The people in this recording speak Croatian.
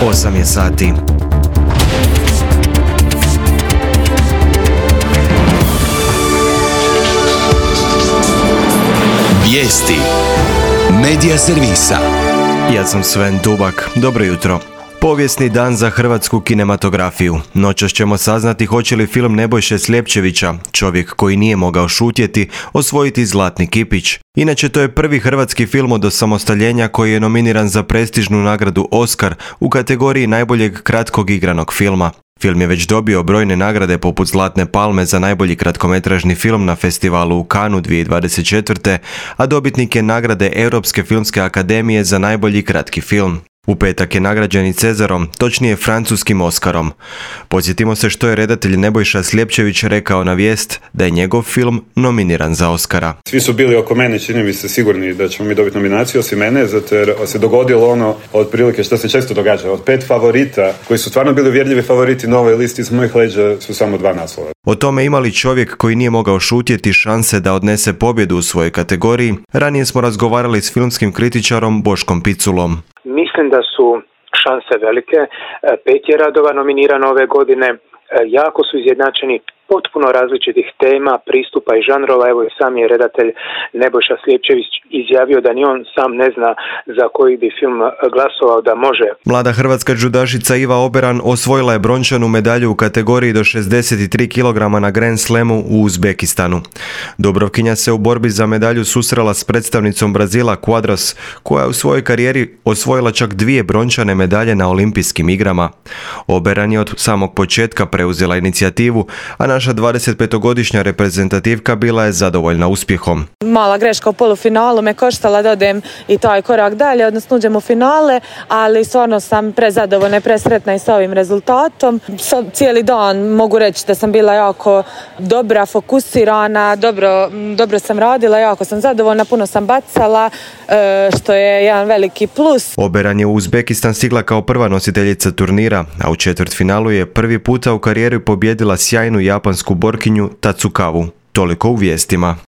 8 je sati. Vijesti Medija servisa. Ja sam Sven Dubak. Dobro jutro. Povijesni dan za hrvatsku kinematografiju. Noćas ćemo saznati hoće li film Nebojše Sljepčevića, čovjek koji nije mogao šutjeti, osvojiti Zlatni kipić. Inače, to je prvi hrvatski film od osamostaljenja koji je nominiran za prestižnu nagradu Oscar u kategoriji najboljeg kratkog igranog filma. Film je već dobio brojne nagrade poput Zlatne palme za najbolji kratkometražni film na festivalu u Cannesu 2024. a dobitnik je nagrade Europske filmske akademije za najbolji kratki film. U petak je nagrađen i Cezarom, točnije francuskim Oskarom. Podsjetimo se što je redatelj Nebojša Sljepčević rekao na Vijest da je njegov film nominiran za Oskara. Svi su bili oko mene, čini mi se sigurni da ćemo mi dobiti nominaciju, osim mene, zato jer se dogodilo ono otprilike što se često događa. Od 5 favorita, koji su stvarno bili uvjerljivi favoriti na ovoj listi, iz mojih leđa su samo 2 naslova. O tome ima li čovjek koji nije mogao šutjeti šanse da odnese pobjedu u svojoj kategoriji, ranije smo razgovarali s filmskim kritičarom Boškom Piculom. Mislim da su šanse velike. 5 je radova nominirano ove godine. Jako su izjednačeni, potpuno različitih tema, pristupa i žanrova. Evo i sam je redatelj Nebojša Sljepčević izjavio da ni on sam ne zna za koji bi film glasovao da može. Mlada hrvatska džudašica Iva Oberan osvojila je brončanu medalju u kategoriji do 63 kg na Grand Slamu u Uzbekistanu. Dubrovkinja se u borbi za medalju susrela s predstavnicom Brazila Quadros, koja je u svojoj karijeri osvojila čak 2 brončane medalje na olimpijskim igrama. Oberan je od samog početka preuzela inicijativu, a naša 25-godišnja reprezentativka bila je zadovoljna uspjehom. Mala greška u polufinalu me koštala da odem i taj korak dalje, odnosno uđem u finale, ali stvarno sam prezadovoljna i presretna i sa ovim rezultatom. Cijeli dan mogu reći da sam bila jako dobra, fokusirana, dobro sam radila, jako sam zadovoljna, puno sam bacala, što je jedan veliki plus. Oberan je u Uzbekistan stigla kao prva nositeljica turnira, a u četvrtfinalu je prvi puta u karijeri pobijedila sjajnu japansku borkinju Tatsukavu. Toliko u vijestima.